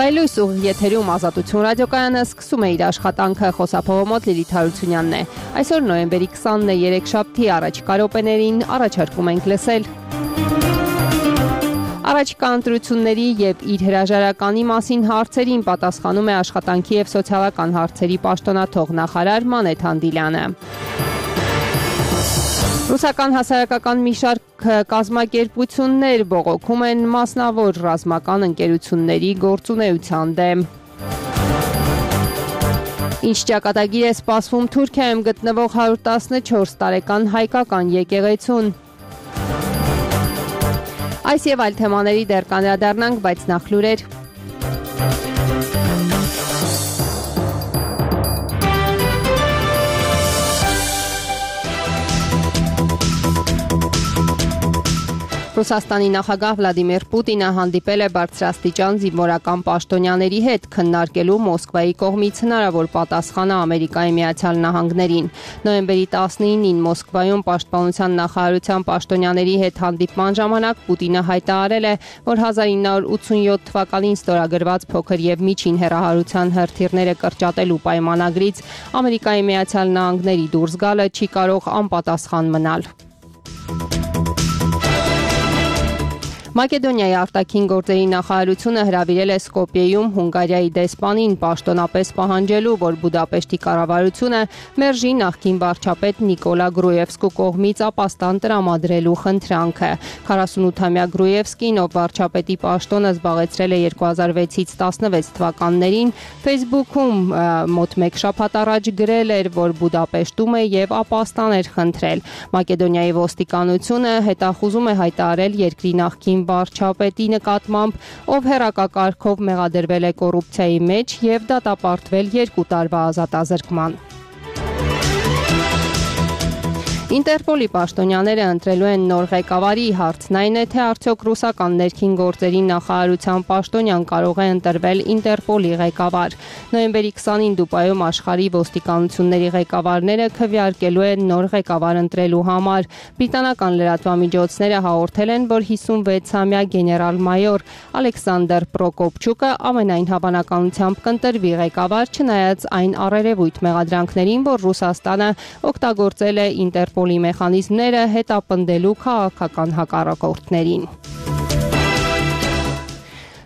Հայլույս ուղիղ եթերում Ազատություն ռադիոկայանը սկսում է իր աշխատանքը, խոսափողը մոտ Լիլիթ Հարությունյանն է։ Այսօր նոյեմբերի 20-ն է, երեքշաբթի, առաջիկա րոպեներին առաջարկում ենք լսել առաջիկա ընտրությունների եւ իր հրաժարականի մասին հարցերին պատասխանում է աշխատանքի եւ սոցիալական հարցերի պաշտոնաթող նախարար Մանեթ Հանդիլյանը։ Ռուսական հասարակական մի շարք կազմակերպություններ բողոքում են մասնավոր ռազմական ընկերությունների գործունեության դեմ։ Ինչ ճակատագիր է սպասվում Թուրքիայում գտնվող 114 տարեկան հայկական եկեղեցուն։ Այս եւ այլ թեմաների դեռ կանդրադառնանք, բայց նախ լուրեր։ Ռուսաստանի նախագահ Վլադիմիր Պուտինը հանդիպել է բարձրաստիճան զինվորական պաշտոնյաների հետ, քննարկելու Մոսկվայի կողմից հնարավոր պատասխանը Ամերիկայի Միացյալ Նահանգներին։ Նոյեմբերի 19-ին Մոսկվայում Պաշտպանության նախարարության պաշտոնյաների հետ հանդիպման ժամանակ Պուտինը հայտարարել է, որ 1987 թվականին ստորագրված փոքր եւ միջին հեռահարության հրթիռները կրճատելու պայմանագրից Ամերիկայի Միացյալ Նահանգների դուրս գալը չի կարող անպատասխան մնալ։ Մակեդոնիայի արտաքին գործերի նախարարությունը հրավիրել է Սկոպիեում Հունգարիայի դեսպանին պաշտոնապես պահանջելու, որ Բուդապեշտի կառավարությունը մերժի նախկին վարչապետ Նիկոլա Գրուևսկու կողմից ապաստան տրամադրելու խնդրանքը։ 48-ամյա Գրուևսկին, ով վարչապետի պաշտոնը զբաղեցրել է 2006-ից 16 թվականներին, Facebook-ում մոտ մեկ շաբաթ առաջ գրել էր, որ Բուդապեշտում է եւ ապաստան էր խնդրել։ Մակեդոնիայի ոստիկանությունը հետախուզում է հայտարարել երկրի նախկին վարչապետի նկատմամբ, ով հեռակակարգով մեղադրվել է կոռուպցիայի մեջ եւ դատապարտվել 2 տարվա ազատազրկման։ Ինտերպոլի պաշտոնյաները ընտրելու են նոր ղեկավարի, հարցն այն է, թե արդյոք ռուսական ներքին գործերի նախարարության պաշտոնյան կարող է ընտրվել Ինտերպոլի ղեկավար։ Նոյեմբերի 20-ին Դուբայում աշխարհի ոստիկանությունների ղեկավարները քվեարկելու են նոր ղեկավար ընտրելու համար։ Բրիտանական լրատվամիջոցները հաղորդել են, որ 56-ամյա գեներալ-մայոր Ալեքսանդր Պրոկոպչուկը ամենայն հավանականությամբ կընտրվի ղեկավար, չնայած այն առերևույթ մեղադրանքներին, որ Ռուսաստանը օգտագործել է Ինտերպոլի մեխանիզմները հետապնդելու քաղաքական հակառակորդներին։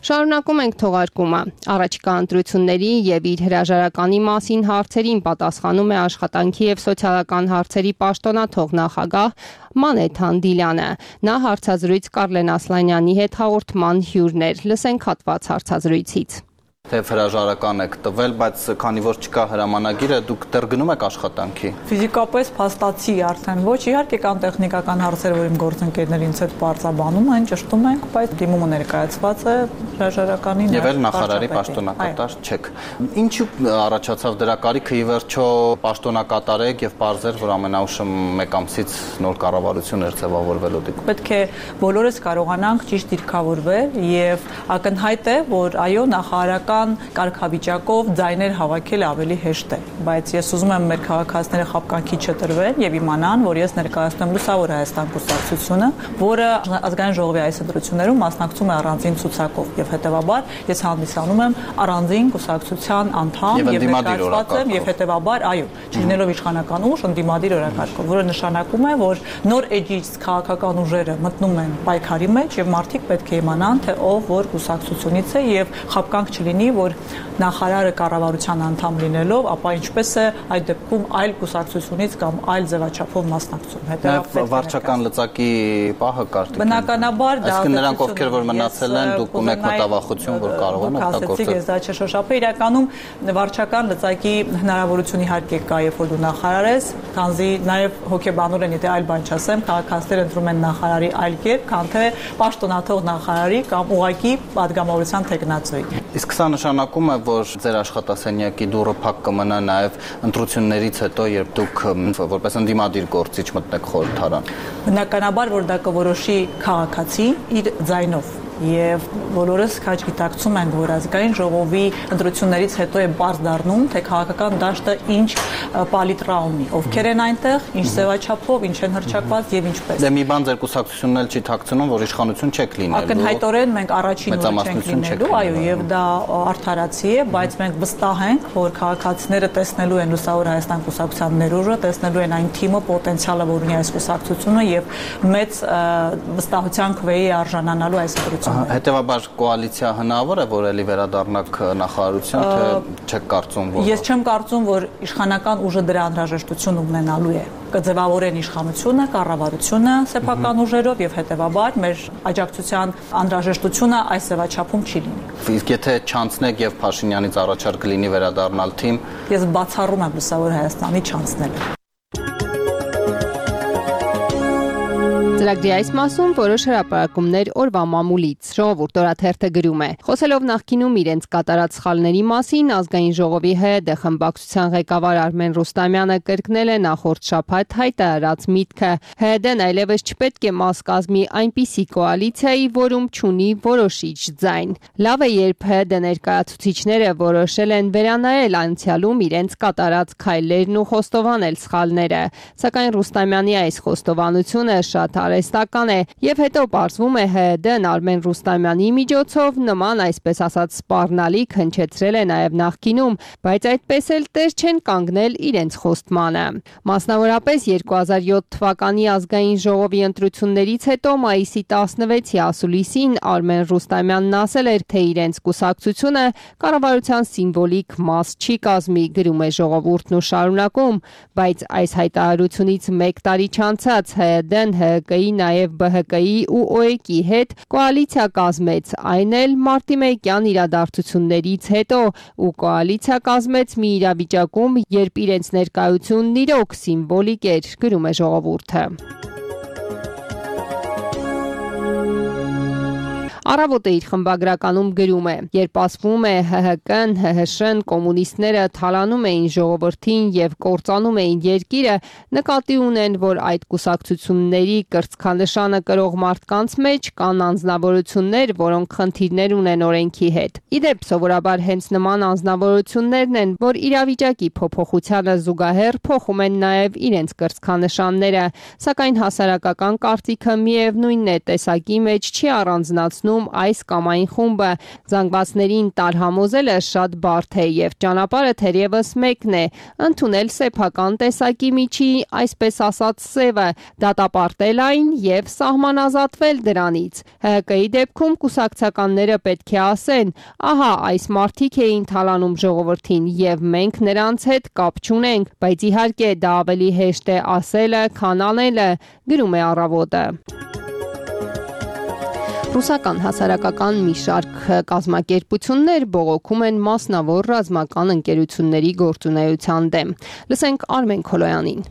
Շարունակում ենք թողարկումը։ Առաջիկա ընտրությունների եւ իր հրաժարականի մասին հարցերին պատասխանում է աշխատանքի եւ սոցիալական հարցերի պաշտոնաթող նախագահ Մանեթ Հանդիլյանը։ Նա հարցազրույց Կարլեն Ասլանյանի հետ հաղորդման հյուրն էր։ Լսենք հատված հարցազրույցից։ Թեև հրաժարական եք տվել, բայց քանի որ չկա հրամանագիրը, դուք դեռ գնում եք աշխատանքի։ Ֆիզիկապես փաստացի արդեն ոչ, իհարկե կան տեխնիկական հարցեր, որ իմ գործընկերներին հետ բարձաբանում են, ճշտում ենք, բայց դիմումը ներկայացված է հրաժարականին։ Եվ էլ նախարարի պաշտոնակատար չեք։ Ինչու առաջացավ դրա կարիքը, ի վերջո պաշտոնակատար եք եւ պարզեր, որ ամենաուշը 1 ամսից նոր կառավարություն էր ձևավորվելու դեպքում։ Պետք է բոլորս կարողանանք ճիշտ դիրքավորվել եւ ակնհայտ է, որ այո, նախարարական կարգավիճակով ձայներ հավաքել ավելի հեշտ է, բայց ես ուզում եմ մեր քաղաքացիները խաբկանքի չտրվեն եւ իմանան, որ ես ներկայացնում եմ Լուսավոր Հայաստան կուսակցությունը, որը ազգային ժողովի այս ընտրություններում մասնակցում է առանձին ցուցակով եւ հետեւաբար ես հանդիսանում եմ առանձին կուսակցության անդամ եւ ներկայացված եմ եւ հետեւաբար այո, չլինելով իշխանական ուժ, ընդդիմադիր օրակարգով, որը նշանակում է, որ նոր էջից քաղաքական ուժերը մտնում են պայքարի մեջ եւ մարդիկ պետք է իմանան, թե ով որ կուսակցությունից է եւ խաբկանք չլինի, որ նախարարը կառավարության անդամ լինելով, ապա ինչպես է այդ դեպքում այլ կուսակցությունից կամ այլ ձևաչափով մասնակցում։ Հետևաբար վարչական լծակի պահը կար։ Բնականաբար դա նրանք ովքեր որ մնացել են, դուք ունեք մտավախություն, որ կարող են օգտագործել։ Ես դա չշոշափե, իրականում վարչական լծակի հնարավորություն իհարկե կա, երբ որ դու նախարար ես, քանզի նաև հոգեբանորեն, եթե այլ բան չասեմ, քաղաքացիները ընտրում են նախարարի այլ կերպ, քան թե պաշտոնաթող նախարարի կամ ուղղակի падգամավորության թեկնածուի։ Իսկ սա նշանակում է, որ ձեր աշխատասենյակի դուռը փակ կմնա նաև ընտրություններից հետո, երբ դուք որպես ընդդիմադիր գործիչ մտնեք խորհրդարան։ Բնականաբար, որ դա կորոշի քաղաքացի իր ձայնով։ եւ բոլորս քաջ գիտակցում ենք, որ ազգային ժողովի ընտրություններից հետո է բարձ դառնում, թե քաղաքական դաշտը ինչ պալիտրա ունի, ովքեր են այնտեղ, ինչ ձևաչափով, ինչ են հռչակված եւ ինչպես։ Դե մի բան ձեր կուսակցությունն էլ չի թաքցնում, որ իշխանություն չեք լինելու։ Ակնհայտորեն մենք առաջին օրը չենք լինելու, այո, եւ դա արդարացի է, բայց մենք վստահ ենք, որ քաղաքացիները տեսնելու են Լուսավոր Հայաստան կուսակցության ներուժը, տեսնելու են այն թիմը, պոտենցիալը, որ ունի այս կուսակցությունը եւ մեծ վստահության քվեի արժանանալու այս ընտրությունները։ Հետևաբար կոալիցիա հնարավոր է, որ ելի վերադառնաք նախարարություն, թե չեք կարծում, որ Ես չեմ կարծում, որ իշխանական ուժը դրա անհրաժեշտություն ունենալու է։ Կձևավորեն իշխանությունը, կառավարությունը սեփական ուժերով եւ հետեւաբար մեր աջակցության անհրաժեշտությունը այս ձևաչափում չի լինի։ Իսկ եթե չանցնեք եւ Փաշինյանից առաջարկ լինի վերադառնալ թիմ, Ես բացառում եմ Լուսավոր Հայաստանի չանցնելը։ Ծրագրի այս մասում որոշ հրապարակումներ օրվա մամուլից։ Ժողովուրդ օրաթերթը գրում է. Խոսելով նախկինում իրենց կատարած սխալների մասին, ազգային ժողովի ՀԴ խմբակցության ղեկավար Արմեն Ռուստամյանը կրկնել է նախորդ շաբաթ հայտարարած միտքը. ՀԴ-ն այլևս չպետք է մաս կազմի այնպիսի կոալիցիայի, որում չունի որոշիչ ձայն։ Լավ է, երբ ՀԴ ներկայացուցիչները որոշել են վերանայել անցյալում իրենց կատարած քայլերն ու խոստովանել սխալները։ Սակայն Ռուստամյանի այս խոստովանությունը շատ արհեստական է եւ հետո պարզվում է ՀԴ-ն Արմեն Ռուստամյանի միջոցով նման այսպես ասած սպառնալիք հնչեցրել է նաեւ նախկինում, բայց այդպես էլ տեր չեն կանգնել իրենց խոստմանը։ Մասնավորապես 2007 թվականի ազգային ժողովի ընտրություններից հետո մայիսի 16-ի ասուլիսին Արմեն Ռուստամյանն ասել էր, թե իրենց կուսակցությունը կառավարության սիմվոլիկ մաս չի կազմի, գրում է Ժողովուրդն ու շարունակում, բայց այս հայտարարությունից 1 տարի չանցած ՀԴ-ն ՀԿ-ի, նաև ԲՀԿ-ի ու ՕԵԿ-ի հետ կոալիցիա կազմեց, այն էլ մարտի 1-յան իրադարձություններից հետո ու կոալիցիա կազմեց մի իրավիճակում, երբ իրենց ներկայությունն իրոք սիմվոլիկ էր, գրում է Ժողովուրդը։ Առավոտը իր խմբագրականում գրում է. երբ ասվում է ՀՀԿ-ն, ՀՀՇ-ն, կոմունիստները թալանում էին ժողովրդին եւ կործանում էին երկիրը, նկատի ունեն, որ այդ կուսակցությունների կրծքանշանը կրող մարդկանց մեջ կան անձնավորություններ, որոնք խնդիրներ ունեն օրենքի հետ։ Իդեպ սովորաբար հենց նման անձնավորություններն են, որ իրավիճակի փոփոխությանը զուգահեռ փոխում են նաեւ իրենց կրծքանշանները, սակայն հասարակական կարծիքը միևնույնն է, տեսակի մեջ չի առանձնացնում այս կամ այն խումբը, զանգվածներին տարհամոզելը շատ բարդ է եւ ճանապարհը թերևս մեկն է, ընդունել սեփական տեսակի միջի, այսպես ասած սևը, դատապարտել այն եւ սահմանազատվել դրանից։ ՀԿ-ի դեպքում կուսակցականները պետք է ասեն, ահա այս մարդիկ էին թալանում ժողովրդին եւ մենք նրանց հետ կապ չունենք, բայց իհարկե դա ավելի հեշտ է ասելը, քան անելը, գրում է Առավոտը։ Ռուսական հասարակական մի շարք կազմակերպություններ բողոքում են մասնավոր ռազմական ընկերությունների գործունեության դեմ։ Լսենք Արմեն Քոլոյանին։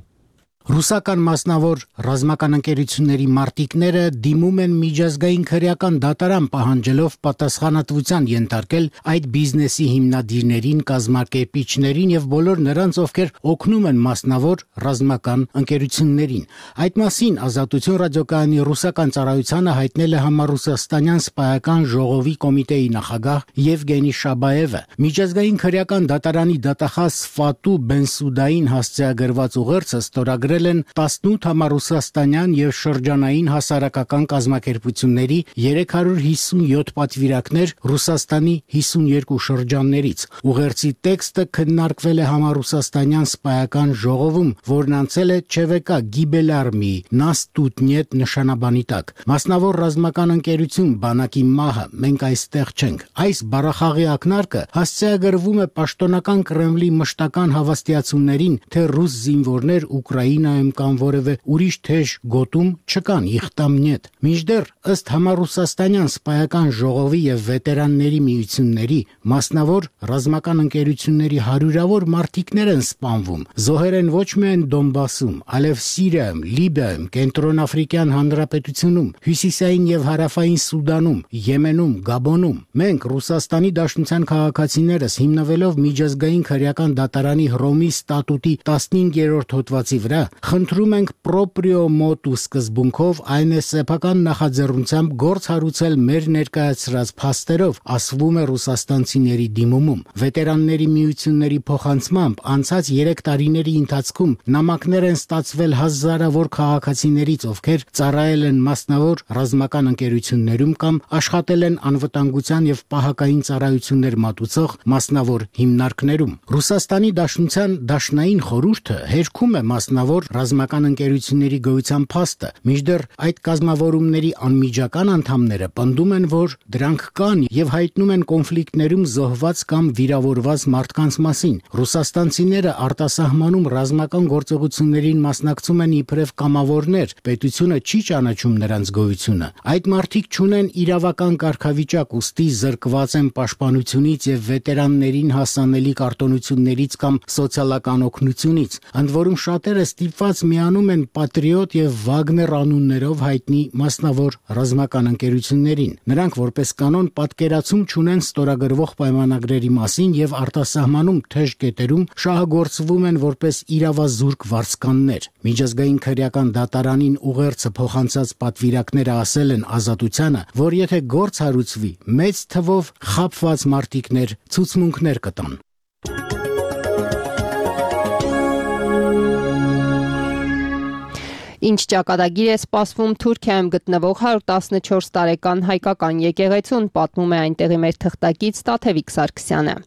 Ռուսական մասնավոր ռազմական ընկերությունների մարտիկները դիմում են միջազգային քրեական դատարան պահանջելով պատասխանատվության ենթարկել այդ բիզնեսի հիմնադիրներին, կազմակերպիչներին եւ բոլոր նրանց, ովքեր օգնում են մասնավոր ռազմական ընկերություններին։ Այդ մասին Ազատություն ռադիոկայանի ռուսական ծառայությանը հայտնել է համառուսաստանյան սպայական ժողովի կոմիտեի նախագահ Եվգենի Շաբաևը։ Միջազգային քրեական դատարանի դատախազ Ֆատու Բենսուդային հասցեագրված ուղերձը ստորագրել են 18 համառուսաստանյան եւ շրջանային հասարակական կազմակերպությունների 357 պատվիրակներ Ռուսաստանի 52 շրջաններից։ Ուղերձի տեքստը քննարկվել է համառուսաստանյան սպայական ժողովում, որն անցել է ՉՎԿ Գիբելարմի Նաստուտնետ նշանաբանի տակ։ Մասնավոր ռազմական ընկերություն բանակի մահը, մենք այստեղ չենք։ Այս բառախաղի ակնարկը հասցեագրվում է պաշտոնական Կրեմլի մշտական հավաստիացումներին, թե ռուս զինվորներ Ուկրաինայում կամ որևէ ուրիշ թեժ գոտում չկան իխտամնետ։ Մինչդեռ ըստ համառուսաստանյան սպայական ժողովի եւ վետերանների միությունների մասնավոր ռազմական ընկերությունների հարյուրավոր մարտիկներ են սպանվում։ Զոհեր են ոչ միայն Դոնբասում, այլև Սիրիայում, Լիբիայում, Կենտրոնաֆրիկյան Հանրապետությունում, Հյուսիսային եւ Հարավային Սուդանում, Եմենում, Գաբոնում։ Մենք Ռուսաստանի Դաշնության քաղաքացիներս հիմնվելով միջազգային քրեական դատարանի Հռոմի ստատուտի 15-րդ հոդվածի վրա Խնդրում ենք պրոպրիո մոտու սկզբունքով, այն է սեփական նախաձեռնությամբ գործ հարուցել մեր ներկայացրած փաստերով, ասվում է ռուսաստանցիների դիմումում։ Վետերանների միությունների փոխանցմամբ անցած 3 տարիների ընթացքում նամակներ են ստացվել հազարավոր քաղաքացիներից, ովքեր ծառայել են մասնավոր ռազմական ընկերություններում կամ աշխատել են անվտանգության եւ պահակային ծառայություններ մատուցող մասնավոր հիմնարկներում։ Ռուսաստանի Դաշնության Դաշնային խորհուրդը հերքում է մասնավոր ռազմական ընկերությունների գոյության փաստը, մինչդեռ այդ կազմավորումների անմիջական անդամները պնդում են, որ դրանք կան եւ հայտնում են կոնֆլիկտներում զոհված կամ վիրավորված մարդկանց մասին։ Ռուսաստանցիները արտասահմանում ռազմական գործողություններին մասնակցում են իբրև կամավորներ, պետությունը չի ճանաչում նրանց գոյությունը։ Այդ մարդիկ չունեն իրավական կարգավիճակ, ուստի զրկված են պաշտպանությունից եւ վետերաններին հասանելի կարտոնություններից կամ սոցիալական օգնությունից։ Ընդ որում շատերը ստիպված միանում են Պատրիոտ եւ Վագներ անուններով հայտնի մասնավոր ռազմական ընկերություններին։ Նրանք որպես կանոն պատկերացում չունեն ստորագրվող պայմանագրերի մասին եւ արտասահմանում թեժ կետերում շահագործվում են որպես իրավազուրկ վարձկաններ։ Միջազգային քրեական դատարանին ուղերձը փոխանցած պատվիրակները ասել են Ազատությանը, որ եթե գործ հարուցվի, մեծ թվով խաբված մարտիկներ ցուցմունքներ կտան։ Ինչ ճակատագիր է սպասվում Թուրքիայում գտնվող 114 տարեկան հայկական եկեղեցուն, պատմում է այնտեղի մեր թղթակից Տաթևիկ Սարգսյանը։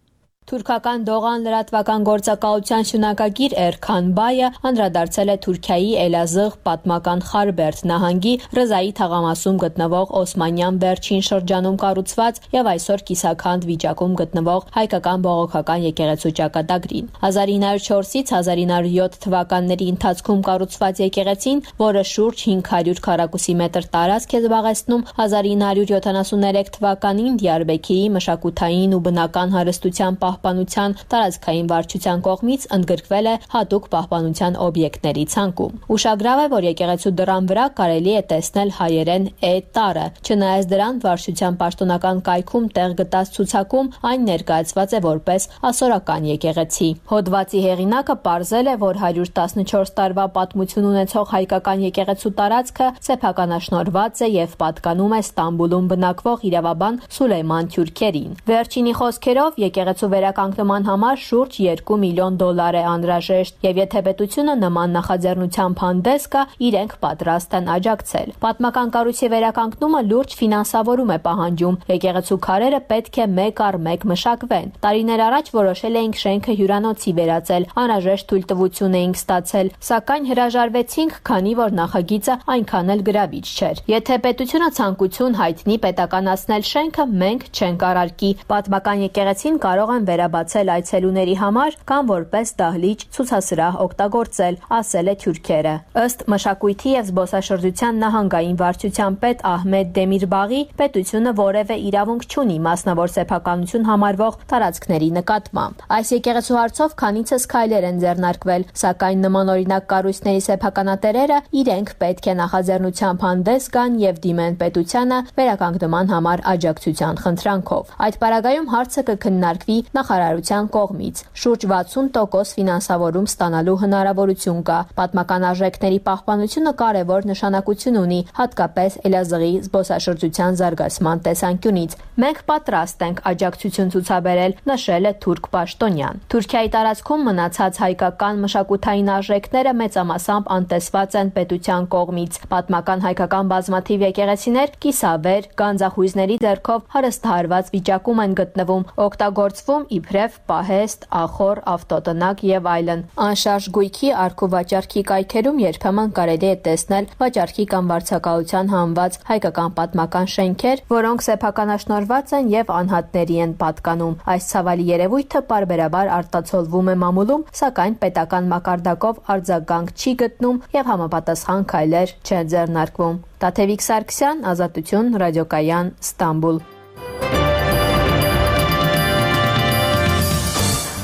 Թուրքական Դողան լրատվական գործակալության շնորհակագիր Էրքան Բայը անդրադարձել է Թուրքիայի Էլազığ պատմական Խարբերդ նահանգի Ռզայի թաղամասում գտնվող Օսմանյան վերջին շրջանում կառուցված եւ այսօր կիսաքանդ վիճակում գտնվող հայկական բողոքական եկեղեցու ճակատագրին։ 1904-ից 1907 թվականների ընթացքում կառուցված եկեղեցին, որը շուրջ 500 քառակուսի մետր տարածք է զբաղեցնում, 1973 թվականին Դիարբեքիրի մշակութային ու բնական հարստության պահպանության տարածքային վարչության կողմից ընդգրկվել է հատուկ պահպանության օբյեկտների ցանկում։ Ուշագրավ է, որ եկեղեցու դռան վրա կարելի է տեսնել հայերեն «Է» տառը։ Չնայած դրան, վարչության պաշտոնական կայքում տեղ գտած ցուցակում այն ներկայացված է որպես ասորական եկեղեցի։ Հոդվածի հեղինակը պարզել է, որ 114 տարվա պատմություն ունեցող հայկական եկեղեցու տարածքը սեփականաշնորհված է եւ պատկանում է Ստամբուլում բնակվող իրավաբան Սուլեյման Թյուրքերին։ Վերջինի խոսքերով եկեղեցու վերականգնման համար շուրջ $2 միլիոն է անհրաժեշտ եւ եթե պետությունը նման նախաձեռնությամբ հանդես գա, իրենք պատրաստ են աջակցել։ Պատմական կառույցի վերականգնումը լուրջ ֆինանսավորում է պահանջում։ Եկեղեցու քարերը պետք է մեկ առ մեկ մշակվեն։ Տարիներ առաջ որոշել էինք շենքը հյուրանոցի վերածել, անհրաժեշտ թույլտվություն էինք ստացել, սակայն հրաժարվեցինք, քանի որ նախագիծը այնքան էլ գրավիչ չէր։ Եթե պետությունը ցանկություն հայտնի պետականացնել շենքը, մենք չենք արարքի։ Պատմական եկեղեցին կարող են վերաբացել այցելուների համար կամ որպես դահլիճ ցուցասրահ օգտագործել, ասել է Թյուրքերը։ Ըստ մշակույթի եւ զբոսաշրջության նահանգային վարչության պետ Ահմեդ Դեմիրբաղի, պետությունը որևէ իրավունք չունի մասնավոր սեփականություն համարվող տարածքների նկատմամբ։ Այս եկեղեցու հարցով քանիցս քայլեր են ձեռնարկվել, սակայն նմանօրինակ կառույցների սեփականատերերը իրենք պետք է նախաձեռնությամբ հանդես գան եւ դիմեն պետությանը վերականգնման համար աջակցության խնդրանքով։ Այդ պարագայում հարցը կքննարկվի նախարարության կողմից։ Շուրջ 60% ֆինանսավորում ստանալու հնարավորություն կա։ Պատմական արժեքների պահպանությունը կարևոր նշանակություն ունի, հատկապես Էլազığի զբոսաշրջության զարգացման տեսանկյունից։ Մենք պատրաստ ենք աջակցություն ցուցաբերել, նշել է թուրք պաշտոնյան։ Թուրքիայի տարածքում մնացած հայկական մշակութային արժեքները մեծամասամբ անտեսված են պետության կողմից։ Պատմական հայկական բազմաթիվ եկեղեցիներ կիսավեր, գանձախույզների ձեռքով հարստահարված վիճակում են գտնվում, օգտագործվում իբրև պահեստ, ախոր, ավտոտնակ եւ այլն։ Անշարժ գույքի արք ու վաճառքի կայքերում երբեմն կարելի է տեսնել վաճառքի կամ վարձակալության հանված հայկական պատմական շենքեր, որոնք սեփականաշնորհված են եւ անհատների են պատկանում։ Այս ցավալի երևույթը պարբերաբար արտացոլվում է մամուլում, սակայն պետական մակարդակով արձագանք չի գտնում եւ համապատասխան քայլեր չեն ձեռնարկվում։ Տաթևիկ Սարգսյան, Ազատություն, ռադիոկայան, Ստամբուլ։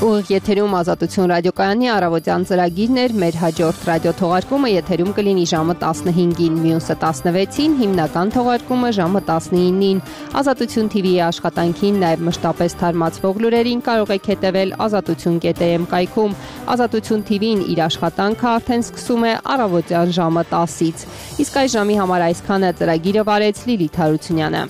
Ուղիղ եթերում Ազատություն ռադիոկայանի առավոտյան ծրագիրն էր, մեր հաջորդ ռադիոթողարկումը եթերում կլինի ժամը 15-ին, մյուսը 16-ին, հիմնական թողարկումը ժամը 19-ին։ Ազատություն TV-ի աշխատանքին, նաև մշտապես թարմացվող լուրերին կարող եք հետևել azatutun.am կայքում։ Ազատություն TV-ն իր աշխատանքը արդեն սկսում է առավոտյան ժամը 10-ից։ Իսկ այս ժամի համար այսքանը, ծրագիրը վարեց Լիլիթ Հարությունյանը։